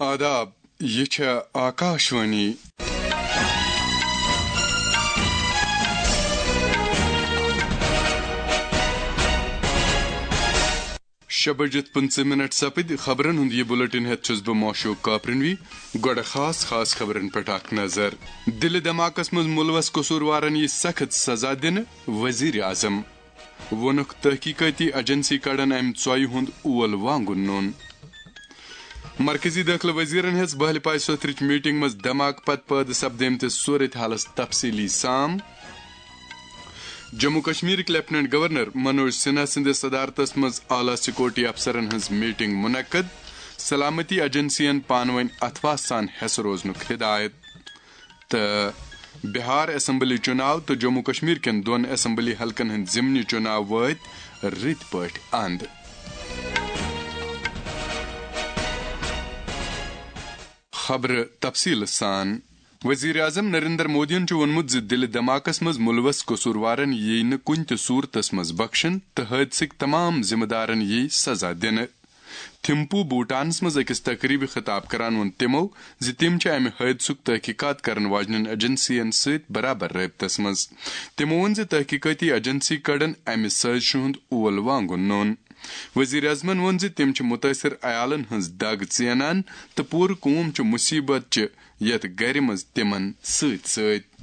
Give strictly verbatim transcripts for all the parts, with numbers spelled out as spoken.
آداب، یہِ چھےٚ آکاشوانی۔ شےٚ بجِتھ پٕنٛژٕہ منٹ سپٕدۍ۔ خبرن ہُنٛد یہِ بُلٹن ہٮ۪تھ چھُس بہٕ موشوق کاپرنوی۔ گۄڈٕ خاص خاص خبرن پٮ۪ٹھ اکھ نظر۔ دِلہِ دھماکس منٛز مُلوث قصوٗروارن یی سخت سزا دِنہٕ، وزیر اعظم۔ ووٚنُکھ، تحقیقٲتی ایجنسی کڑن امہِ ژۄیہِ ہُنٛد اول وانگُن نوٚن۔ مرکزی دٲخلہٕ وزیرن ہیٚژ بہلہِ پاے سوتھرٕچ میٹنگ منٛز دھماکہٕ پتہٕ پٲدٕ سپدیمتِس صورت حالس تفصیلی سام۔ جموں کشمیرٕکۍ لیفٹیننٹ گورنر منوج سنہا سٕنٛدِس صدارتس منٛز اعلیٰ سیکورٹی افسرن ہٕنٛز میٹنگ منعقد، سلامتی ایجنسین پانہٕ وٲنۍ اتھواہ سان ہٮ۪سہٕ روزنُک ہدایت۔ تہٕ بہار اسمبلی چُناو تہٕ جموں کشمیر کٮ۪ن دۄن اسمبلی حلقن ہٕنٛدۍ ضمنی چُناو وٲتۍ رٕتۍ پٲٹھۍ اند۔ خبرٕ تفصیٖل سان۔ وزیر اعظم نریندر مودیَن چھُ ووٚنمُت زِ دِلہِ دھماکس منٛز مُلوث قصوٗروارَن یِیہِ نہٕ کُنہِ تہِ صوٗرتس منٛز بخشن تہٕ حٲدثٕکۍ تمام ذمہٕ دارَن یِیہِ سزا دِنہٕ۔ تھمپو بھوٹانس منٛز أکِس تقریبہِ خطاب کران ووٚن تِمو زِ تِم چھِ امہِ حٲدثُک تحقیقات کرن واجنٮ۪ن ایجنسین سۭتۍ برابر رٲبطس منٛز۔ تِمو ووٚن زِ تحقیقٲتی ایجنسی کڑن امہِ سٲزشہِ ہُنٛد اول وانگُن نوٚن۔ وزیر اعظمن ووٚن زِ تِم چھِ مُتٲثِر عیالن ہٕنٛز دگ ژینان تہٕ پوٗرٕ قوم چھُ مُصیبت چہِ یتھ گرِ منٛز تِمن سۭتۍ سۭتۍ۔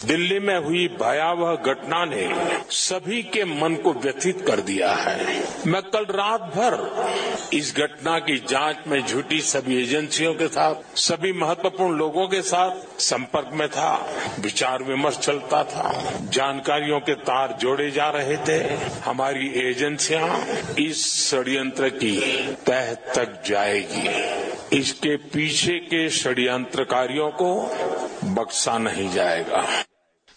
दिल्ली में हुई भयावह घटना ने सभी के मन को व्यथित कर दिया है। मैं कल रात भर इस घटना की जांच में जुटी सभी एजेंसियों के साथ, सभी महत्वपूर्ण लोगों के साथ संपर्क में था, विचार विमर्श चलता था, जानकारियों के तार जोड़े जा रहे थे। हमारी एजेंसियां इस षड्यंत्र की तह तक जाएगी। इसके पीछे के षड्यंत्रकारियों को बख्शा नहीं जाएगा।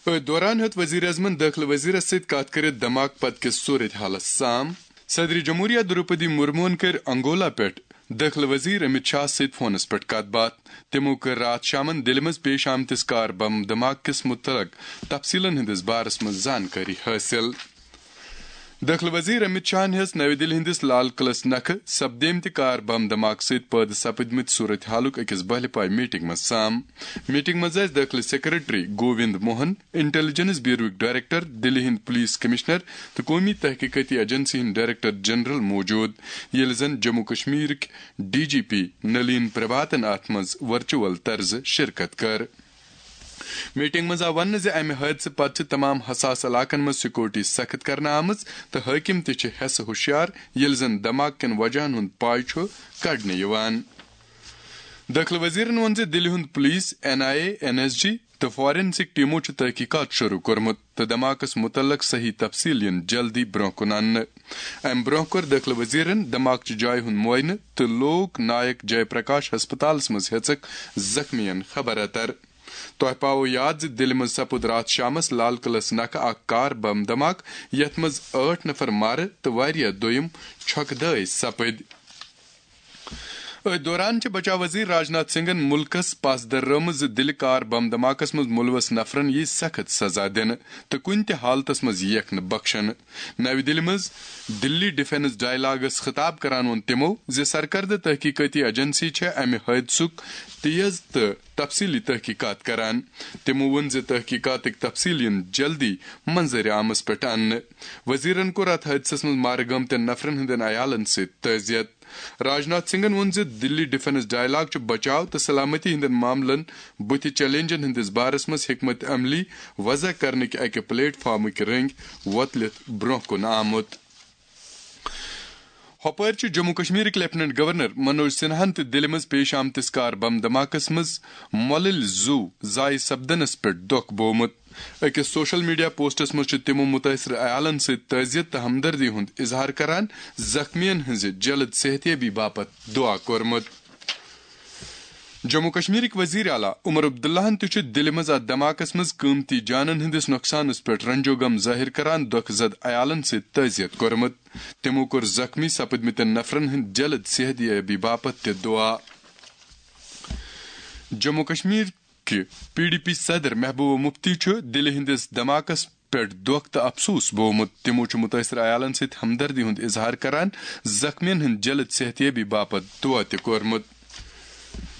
أتھۍ دوران ہیوٚت وزیر اعظمن دٲخلہٕ وزیرس سۭتۍ کتھ کٔرِتھ دھماکہٕ پتہٕ کِس صورت حالس سام۔ صدر جمہوریہ دروپدی مرموہن کٔر انگولا پٮ۪ٹھ دٲخلہٕ وزیر امت شاہ سۭتۍ فونس پٮ۪ٹھ کتھ باتھ۔ تِمو کٔر راتھ شامن دِلہِ منٛز پیش آمتِس کار بم دھماکہٕ کِس متعلق تفصیلن ہٕنٛدِس بارس منٛز زانکٲری حٲصِل۔ دٲخلہٕ وزیر امت شاہن ہیٚژ نَوِ دِلہِ ہٕنٛدِس لال قلعس نکھٕ سپدیمتہِ کار بم دھماکہٕ سۭتۍ پٲدٕ سپدمٕتۍ صورت حالُک أکِس بہلہِ پاے میٹنگ منٛز سام۔ میٹنگ منٛز ٲسۍ دٲخلہٕ سیکرٹری گووند موہن، انٹیلیجنس بیوروٕکۍ ڈائریکٹر، دِلہِ ہٕنٛدۍ پولیس کمشنر تہٕ قومی تحقیقاتی ایجنسی ہٕنٛدۍ ڈائریکٹر جنرل موجود، ییٚلہِ زن Jammu کشمیرٕکۍ D G P Nalin پربھاتن اتھ منٛز ورچوئل طرزٕ شرکت کٔر۔ میٹنگ منٛز آو وننہٕ زِ امہِ حٲدثہٕ پتہٕ چھِ تمام حساس علاقن منٛز سیکورٹی سخت کرنہٕ آمٕژ تہٕ حٲکم تہِ چھِ ہٮ۪سہٕ ہوشیار، ییٚلہِ زن دھماکہٕ کٮ۪ن وجہن ہُنٛد پاے چھُ کڑنہٕ یِوان۔ دٲخلہٕ وزیرن ووٚن زِ دِلہِ ہُنٛد police, N I A, N S G تہٕ فارنسک ٹیمو چھُ تحقیقات شروع کوٚرمُت تہٕ دھماکس متعلق صحیح تفصیل یِن جلدی برونٛہہ کُن اننہٕ۔ امہِ برونٛہہ کوٚر دٲخلہٕ وزیرن دھماکہٕ چہِ جایہِ ہُنٛد معائنہٕ تہٕ لوک نائک جے پرکاش ہسپتالس منٛز ہیژکھ زخمیَن خبر اتر۔ تۄہہِ پاوو یاد زِ دِلہِ منٛز سپُد راتھ شامس لال قلعس نکھٕ اکھ کار بم دھماکہٕ، یتھ منٛز ٲٹھ نفر مارٕ تہٕ واریاہ دوٚیم چھۄکہٕ دٲے سپٕدۍ۔ أتھۍ دوران چھِ بچاو وزیر راجناتھ سنگھن مُلکَس پژھ دررٲومٕژ زِ دِلہِ کار بم دھماکس منٛز مُلوث نفرن یِیہِ سخت سزا دِنہٕ تہٕ کُنہِ تہِ حالتس منٛز یِیَکھ نہٕ بخشنہٕ۔ نَوِ دِلہِ منٛز دِلی ڈیفنس ڈائیلاگس خطاب کران ووٚن تِمو زِ سرکردٕ تحقیقٲتی ایجنسی چھےٚ امہِ حٲدثُک تیز تہٕ تفصیلی تحقیقات کران۔ تِمو ووٚن زِ تحقیقاتٕکۍ تفصیل یِن جلدی منظر عامس پٮ۪ٹھ اننہٕ۔ وزیرن کوٚر اتھ حٲدثس منٛز مارٕ گٲمتٮ۪ن نفرن ہٕنٛدٮ۪ن عیالن سۭتۍ تعزیت۔ راجناتھ سنگھن ووٚن زِ دِلی ڈیفنس ڈائیلاگ چھُ بچاو تہٕ سلامتی ہٕنٛدٮ۪ن معاملن بُتھِ چیلنجن ہٕنٛدِس بارس منٛز حکمت عملی وضع کرنٕکۍ اکہِ پلیٹ فارمٕکۍ رٔنگۍ وۄتلِتھ برونٛہہ کُن آمُت۔ ہۄپٲرۍ چھُ جموں کشمیرٕکۍ لیفٹیننٹ گورنر منوج سنہاہن تہِ دِلہِ منٛز پیش آمتِس کار بم دھماکس منٛز مۄلٕلۍ زُو ضایع سپدنس پٮ۪ٹھ دۄکھ بوومُت۔ أکِس سوشل میڈیا پوسٹس منٛز چھُ تِمو مُتٲثر عیالن سۭتۍ تعزیت تہٕ ہمدردی ہُنٛد اظہار کران زخمیَن ہٕنٛزِ جلد صحتیابی باپتھ دُعا کوٚرمُت۔ جموں کشمیرٕکۍ وزیر اعلیٰ عمر عبداللہن تہِ چھُ دِلہِ منٛز اتھ دھماکس منٛز قۭمتی جانن ہٕنٛدِس نۄقصانس پٮ۪ٹھ رنج و غم ظٲہِر کران دۄکھٕ زد عیالن سۭتۍ تعزیت کوٚرمُت۔ تِمو کوٚر زخمی سپٕدمٕتٮ۪ن نفرن ہٕنٛدِ جلد صحتیابی باپتھ تہِ دُعا۔ جموں کشمیر کہِ پی ڈی پی صدر محبوبہ مفتی چھُ دِلہِ ہٕنٛدِس دھماکس پٮ۪ٹھ دۄکھ تہٕ افسوس بوومُت۔ تِمو چھُ مُتٲثر عیالن سۭتۍ ہمدردی ہُنٛد اظہار کران زخمیَن ہٕنٛدِ جلد صحتیابی باپتھ دُعا تہِ کوٚرمُت۔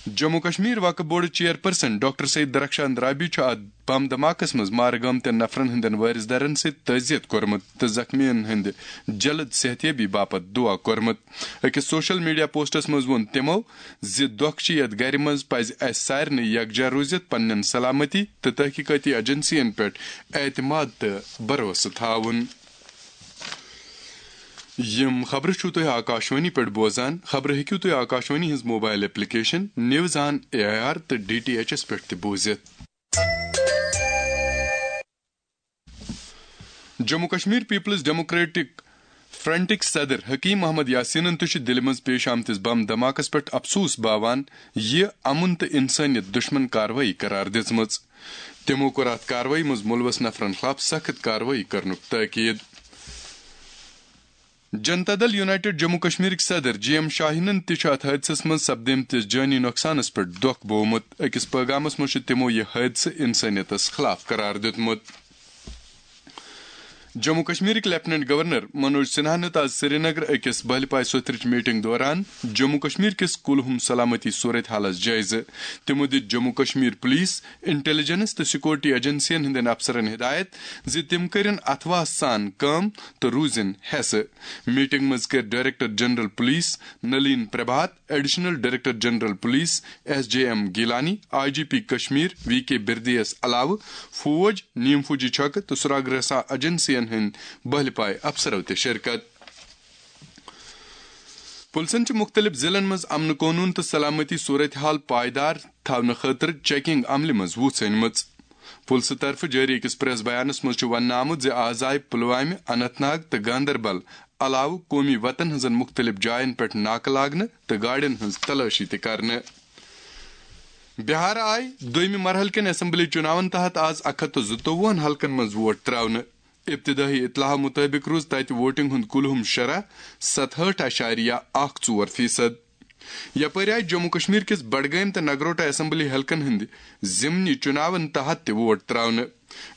جموں کشمیر وقف board chairperson doctor Syed Darakhshan رابی چھُ اتھ بم دھماکس منٛز مارٕ گٲمتٮ۪ن نفرن ہٕنٛدٮ۪ن وٲرث دارن سۭتۍ تعزیت کوٚرمُت تہٕ زخمیَن ہٕنٛدِ جلد صحتیابی باپتھ دعا کوٚرمُت۔ أکِس سوشل میڈیا پوسٹس منٛز ووٚن تِمو زِ دۄکھ چھِ یتھ گرِ منٛز، پزِ اسہِ سارنٕے یکجاہ روٗزِتھ پننٮ۪ن سلامتی تہٕ تحقیقٲتی ایجنسین پٮ۪ٹھ اعتماد تہٕ بھروسہٕ تھاوُن۔ یِم خبرٕ چھِو تُہۍ آکاشوانی پٮ۪ٹھ بوزان۔ خبرٕ ہیٚکِو تُہۍ آکاشوانی ہٕنٛز mobile application news on A I R تہٕ ڈی ٹی ایچ ایس پٮ۪ٹھ تہِ بوٗزِتھ۔ جموں کشمیر پیپلز ڈیموکریٹک فرنٹٕکۍ صدر حکیم محمد یاسینن تہِ چھُ دِلہِ منٛز پیش آمتِس بم دھماکس پٮ۪ٹھ افسوس باوان یہِ امن تہٕ انسٲنیت دشمن کاروٲیی قرار دِژمٕژ۔ تِمو کوٚر اتھ کاروٲیی منٛز مُلوث نفرن خلاف سخت کاروٲیی کرنُک تاکید۔ جنتا دل یونائیٹڈ جموں کشمیرٕکۍ صدر جی ایم شاہینن تہِ چھُ اتھ حٲدثس منٛز سپدیمتِس جٲنی نۄقصانس پٮ۪ٹھ دۄکھ بوومُت۔ أکِس پٲغامس منٛز چھُ تِمو یہِ حٲدثہٕ انسٲنیتس خلاف قرار دیُتمُت۔ جموں کشمیرٕکۍ لیفٹیننٹ گورنر منوج سنہا نیُت آز سرینگر أکِس بہلہِ پایہِ سوٚتھرٕچ میٹنگ دوران جموں کشمیر کِس کُلہُم سلامتی صورت حالس جٲیزٕ۔ تِمو دِتۍ جموں کشمیر پولیس، انٹیلیجنس تہٕ سیکورٹی ایجنسین ہٕنٛدٮ۪ن افسرن ہدایت زِ تِم کٔرِن اتھواہ سان کٲم تہٕ روٗزِن حیسہٕ۔ میٹنگ منٛز کٔرۍ director general police Nalin Prabhat, additional director general police S J M Gilani, I G P Kashmir V K بردیس علاوٕ فوج، نیم فوجی چھکہٕ تہٕ سراغ رساں ایجنسین ہٕنٛدۍ بہلہِ پایہِ افسرو تہِ شرکت۔ پُلسن چھِ مُختٔلِف ضِلعن منٛز امن قونوٗن تہٕ سلامتی صورت حال پائیدار تھاونہٕ خٲطرٕ چیکنگ عملہِ منٛز وُژھ أنمٕژ۔ پُلسہٕ طرفہٕ جٲری أکِس پریس بیانَس منٛز چھُ وننہٕ آمُت زِ آز آیہِ پُلوامہِ، اننت ناگ تہٕ گاندربل علاوٕ قومی وطن ہٕنٛزن مُختٔلِف جاین پٮ۪ٹھ ناکہٕ لاگنہٕ تہٕ گاڑٮ۪ن ہٕنٛز تلٲشی تہِ کرنہٕ۔ بہار آیہِ دوٚیمہِ مرحلہٕ کٮ۪ن اسمبلی چُناون تحت آز اکھ ہتھ تہٕ زٕتووُہن حلقن منٛز ووٹ تراونہٕ۔ ابتدٲئی اطلاع مُطٲبِق روٗز تَتہِ ووٹنگ ہُنٛد کُلہُم شرح ستہٲٹھ اعشاریہ اکھ ژور فیصد۔ یپٲرۍ آیہِ جموں کشمیر کِس بڈگٲمۍ تہٕ نگروٹا اسمبلی حلقن ہٕنٛدِ ضمنی چُناون تحت تہِ ووٹ تراونہٕ۔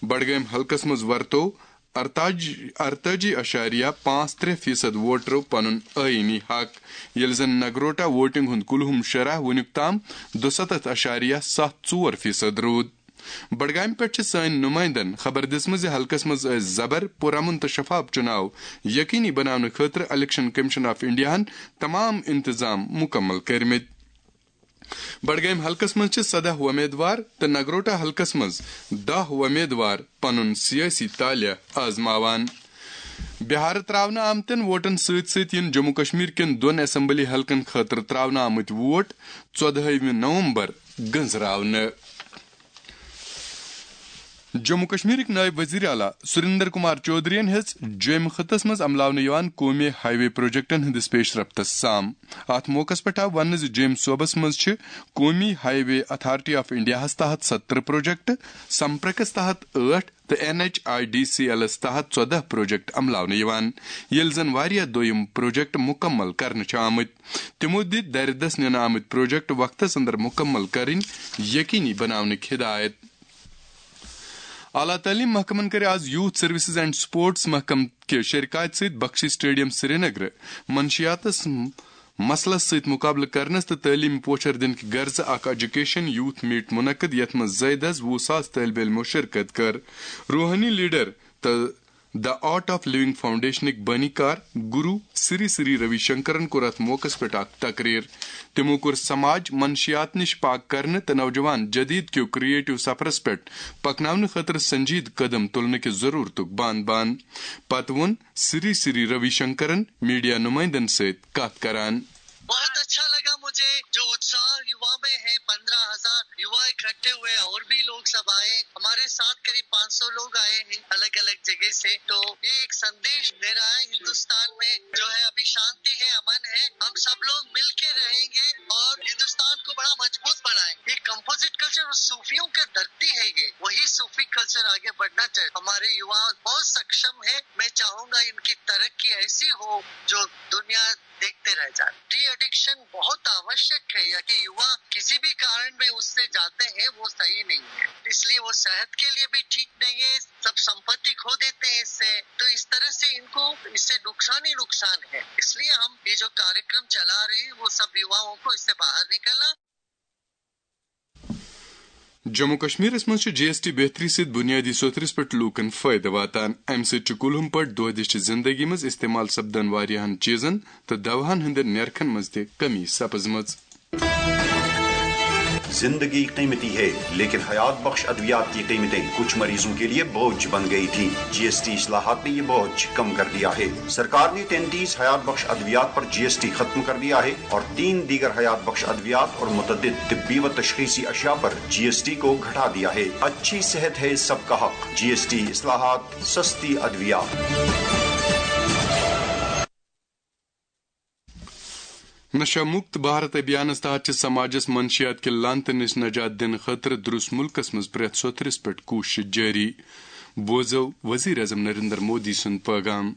بڈگٲمۍ حلقس منٛز ورتوو ارتاجی، ارتٲجی اعشاریہ پانٛژھ ترٛےٚ فیصد ووٹرو پنُن آئینی حق، ییٚلہِ زن نگروٹا ووٹنگ ہُنٛد کُلہُم شرح وُنیُک تام دُسَتتھ اعشاریہ ستھ ژور فیصد روٗد۔ بڈگامہِ پٮ۪ٹھ چھِ سٲنۍ نُمٲیندن خبر دِژمٕژ زِ حلقس منٛز ٲسۍ زبر، پُرامن تہٕ شفاف چُناو یقینی بناونہٕ خٲطرٕ الیکشن کمیشن آف انڈیاہن تمام انتظام مُکمل کٔرمٕتۍ۔ بڈگامہِ حلقس منٛز چھِ سداہ وۄمیدوار تہٕ نگروٹا حلقس منٛز دَہ وۄمیدوار پنُن سیٲسی طالع آزماوان۔ بہارٕ تراونہٕ آمتٮ۪ن ووٹن سۭتۍ سۭتۍ یِن جموں کشمیر کٮ۪ن دۄن اسمبلی حلقن خٲطرٕ تراونہٕ آمٕتۍ ووٹ ژۄدہٲیمہِ نومبر گٔنزراونہٕ۔ جموں کشمیرٕکۍ نٲیِب وزیر اعلیٰ سریندر کمار چودھرین ہیٚژ جوٚمہِ خطس منٛز عملاونہٕ یِوان قومی ہائی وے پروجیکٹن ہٕنٛدِس پیش رفتس سام۔ اتھ موقعس پٮ۪ٹھ آو وننہٕ زِ جوٚمہِ صوبس منٛز چھِ قومی ہائی وے اتھارٹی آف انڈیاہس تحت سترہ پروجیکٹ، سمپرکس تحت ٲٹھ تہٕ N H I D C ایلس تحت ژۄدہ پروجیکٹ عملاونہٕ یِوان، ییٚلہِ زن واریاہ دوٚیم پروجیکٹ مُکمل کرنہٕ چھِ آمٕتۍ۔ تِمو دِتۍ دَرِ دَس نِنہٕ آمٕتۍ پروجیکٹ وقتس اندر مُکمل کرٕنۍ یقینی بناونٕکۍ ہدایت۔ اعلیٰ تعلیٖم محکمن کٔرۍ آز یوتھ سروسز اینڈ سپورٹس محکمہٕ کہِ شرکاتہِ سۭتۍ بخشی سٹیڈیم سرینگرٕ منشیاتس مسلس سۭتۍ مقابلہٕ کرنس تہٕ تعلیٖمی پوچھر دِنہٕ کہِ غرضہٕ اکھ ایجوکیشن یوتھ میٹ منعقد، یتھ منٛز زٲیدٕ از وُہ ساس طٲلبہِ علمو شرکت کٔر۔ روحٲنی لیڈر تہٕ The Art of Living فاؤنڈیشنٕکۍ بٲنی کار گرو سری سری روی شنکرن کوٚر اتھ موقعس پٮ۪ٹھ اکھ تقریر۔ تِمو کوٚر سماج منشیات نِش پاک کرنہٕ تہٕ نوجوان جدید کیو کریٹو سفرس پٮ۪ٹھ پکناونہٕ خٲطرٕ سنجیدٕ قدم تُلنہٕ کہِ ضرورتُک بان بان۔ پتہٕ ووٚن سری سری روی شنکرن میڈیا نمائندن سۭتۍ کتھ کران۔ बहुत अच्छा लगा मुझे, जो उत्साह युवा में है। पन्द्रह हज़ार युवा इकट्ठे हुए, और भी लोग सब आए। हमारे साथ करीब पाँच सौ लोग आए हैं अलग अलग जगह से। तो ये एक संदेश दे रहा है, हिंदुस्तान में जो है अभी शांति है, अमन है, हम सब लोग मिलके रहेंगे और हिंदुस्तान को बड़ा मजबूत बनाएंगे। ये कंपोजिट कल्चर और सूफियों की धरती है, ये वही सूफी कल्चर आगे बढ़ना चाहिए। हमारे युवा बहुत सक्षम है, मैं चाहूंगा इनकी तरक्की ऐसी हो जो दुनिया देखते रह जाए। टी एडिक्शन बहुत आवश्यक है, या कि युवा किसी भी कारण में उससे जाते हैं, वो सही नहीं है, इसलिए वो सेहत के लिए भी ठीक नहीं है। सब संपत्ति खो देते हैं इससे। तो इस तरह से इनको, इससे नुकसान ही नुकसान है। इसलिए हम ये जो कार्यक्रम चला रहे हैं, वो सब युवाओं को इससे बाहर निकलना। جموں کشمیرس منٛز چھُ جی ایس ٹی بہتری سۭتۍ بنیٲدی سوٚتھرِس پٮ۪ٹھ لوٗکن فٲیدٕ واتان۔ امہِ سۭتۍ چھُ کُلہُم پٲٹھۍ دۄہ دِش چہِ زندگی منٛز استعمال سپدن واریاہن چیٖزن تہٕ دواہن ہٕنٛدٮ۪ن نرخن منٛز تہِ کمی سپٕزمٕژ۔ زندگی قیمتی ہے، لیکن حیات بخش ادویات کی قیمتیں کچھ مریضوں کے لیے بوجھ بن گئی تھی۔ جی ایس ٹی اصلاحات نے یہ بوجھ کم کر دیا ہے۔ سرکار نے تینتیس حیات بخش ادویات پر جی ایس ٹی ختم کر دیا ہے اور تین دیگر حیات بخش ادویات اور متعدد طبی و تشخیصی اشیاء پر جی ایس ٹی کو گھٹا دیا ہے۔ اچھی صحت ہے سب کا حق۔ جی ایس ٹی اصلاحات، سستی ادویات۔ نشہ مکت بھارت ابھیانس تحت چھِ سماجس منشیات کہِ لعنتہٕ نِش نجات دِنہٕ خٲطرٕ درُس مُلکس منٛز پرٛٮ۪تھ سوٚتھرِس پٮ۪ٹھ کوٗشش جٲری۔ بوزو وزیر اعظم نریندر مودی سُنٛد پٲغام۔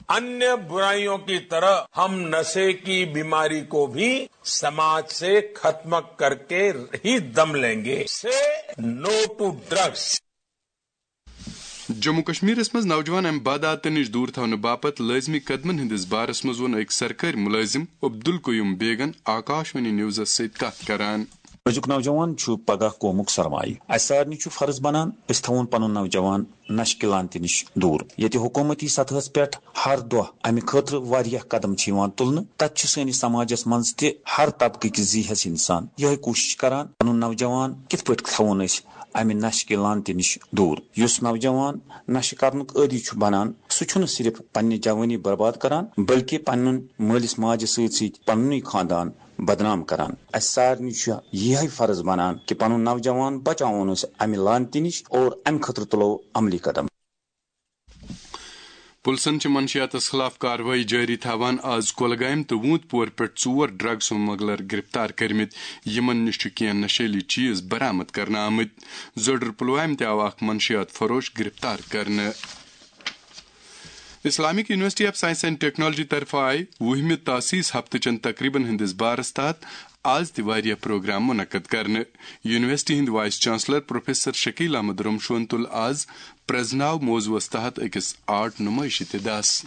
अन्य बुराइयों की तरह हम नशे की बीमारी को भी समाज से खत्म करके ही दम लेंगे। से नो टू ड्रग्स। جموں کشمیرس منٛز نوجوان امہِ بدعاتن نِش دوٗر تھاونہٕ باپتھ لٲزمی قدمن ہٕنٛدِس بارس منٛز ووٚن أکۍ سرکٲرۍ مُلٲزِم عبدالقیوم بیگن آکاش وانی نیوزس سۭتۍ کتھ کران۔ أزیُک نوجوان چھُ پگاہ قومُک سرمایہِ۔ اسہِ سارنٕے چھُ فرض بنان أسۍ تھاوون پنُن نوجوان نشہٕ کہِ لعنتہِ نِش دوٗر۔ ییٚتہِ حکوٗمتی سطحس پٮ۪ٹھ ہر دۄہ امہِ خٲطرٕ واریاہ قدم چھِ یِوان تُلنہٕ، تتہِ چھُ سٲنِس سماجس منٛز تہِ ہر طبقٕکۍ ذی حیس انسان یِہے کوٗشش کران پنُن نوجوان کِتھ پٲٹھۍ تھاوون أسۍ امہِ نشہٕ کہِ لعنتہِ نِش دوٗر۔ یُس نوجوان نشہٕ کرنُک عٲدی چھُ بنان، سُہ چھُنہٕ صرف پننہِ جوٲنی برباد کران، بلکہِ پننٮ۪ن مٲلِس ماجہِ سۭتۍ سۭتۍ پننُے خاندان بدنام کران۔ اسہِ سارنٕے چھُ یِہے فرض بنان کہِ پنُن نوجوان بچاوون أسۍ امہِ لعنتہِ نِش اور امہِ خٲطرٕ تُلو عملی قدم۔ پُلسن چھِ منشیاتس خلاف کاروٲیی جٲری تھاوان۔ آز کۄلگامۍ تہٕ ووٗنٛت پور پٮ۪ٹھ ژور ڈرگ سمگلر گرفتار کٔرمٕتۍ۔ یِمن نِش چھُ کینٛہہ نشیلی چیز برآمد کرنہٕ آمٕتۍ۔ زوٚڈر پلوامہِ تہِ آو اکھ منشیات فروش گرفتار کرنہٕ۔ Islamic university of science and technology طرفہٕ آیہِ وُہمہِ تاسیس ہفتہٕ چٮ۪ن تقریبن ہٕنٛدِس بارس تحت آز تہِ واریاہ پروگرام منعقد کرنہٕ۔ یونیورسٹی ہٕنٛدۍ vice chancellor professor Shakeel Ahmad رمشون تُل آز پرزناو موضوعس تحت أکِس آرٹ نمائشہِ تہِ دَس۔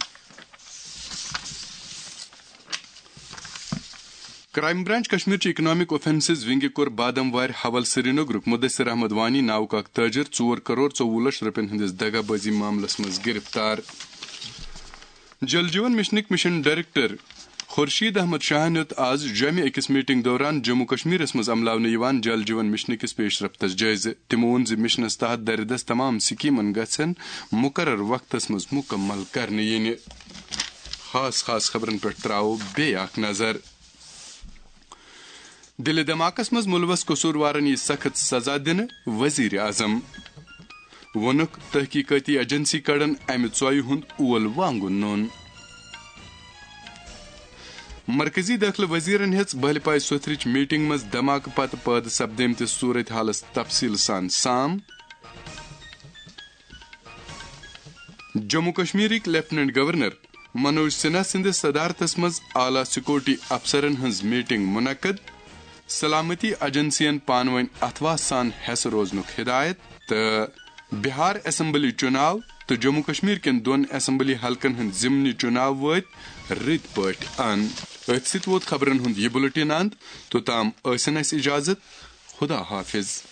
کرائم برانچ کشمیر چہِ اکنامک اوفینسز ونگہِ کوٚر بادم وارِ حول سرینگرُک مدثر احمد وانی ناوُک اکھ تاجر ژور کرور ژوٚوُہ لچھ رۄپین ہٕنٛدِس دغا بازی معاملس منٛز گرفتار۔ جل جیون مشنٕکۍ مشن ڈائریکٹر خورشید احمد شاہن ہیوٚت آز جوٚمہِ أکِس میٹنگ دوران جموں کشمیرس منٛز عملاونہٕ یِوان جل جیون مشن کِس پیش رفتس جٲیزٕ۔ تِمو ووٚن زِ مشنس تحت دردس تمام سکیمن گژھن مقرر وقتس منٛز مکمل کرنہٕ یِنہِ۔ خاص خاص خبرن پٮ۪ٹھ تراوو بیٚیہِ اکھ نظر۔ دِلہِ دھماکس منٛز مُلوث قصوٗروارن یِیہِ سخت سزا دِنہٕ، وزیر اعظم۔ ووٚنُکھ، تحقیقٲتی ایجنسی کڑن امہِ ژۄیہِ ہُنٛد اول وانگُن نوٚن۔ مرکزی دٲخلہٕ وزیرن ہیٚژ بہلہِ پایہِ سوٚتھرٕچ میٹنگ منٛز دھماکہٕ پتہٕ پٲدٕ سپدیمتِس صورت حالس تفصیل سان سام۔ جموں کشمیرٕکۍ لیفٹیننٹ گورنر منوج سنہا سٕنٛدِس صدارتس منٛز اعلیٰ سیکورٹی افسرن ہٕنٛز میٹنگ منعقد، سلامتی ایجنسین پانہٕ وٲنۍ اتھواہ سان ہٮ۪سہٕ روزنُک ہدایت، تہٕ بہار اسمبلی چُناو تہٕ جموں کشمیر کٮ۪ن دۄن اسمبلی حلقن ہٕنٛدۍ ضمنی چُناو وٲتۍ رٕتۍ پٲٹھۍ ان۔ أتھۍ سۭتۍ ووت خبرن ہُنٛد یہِ بُلٹن اند۔ توٚتام ٲسِن اَسہِ اجازت۔ خدا حافظ۔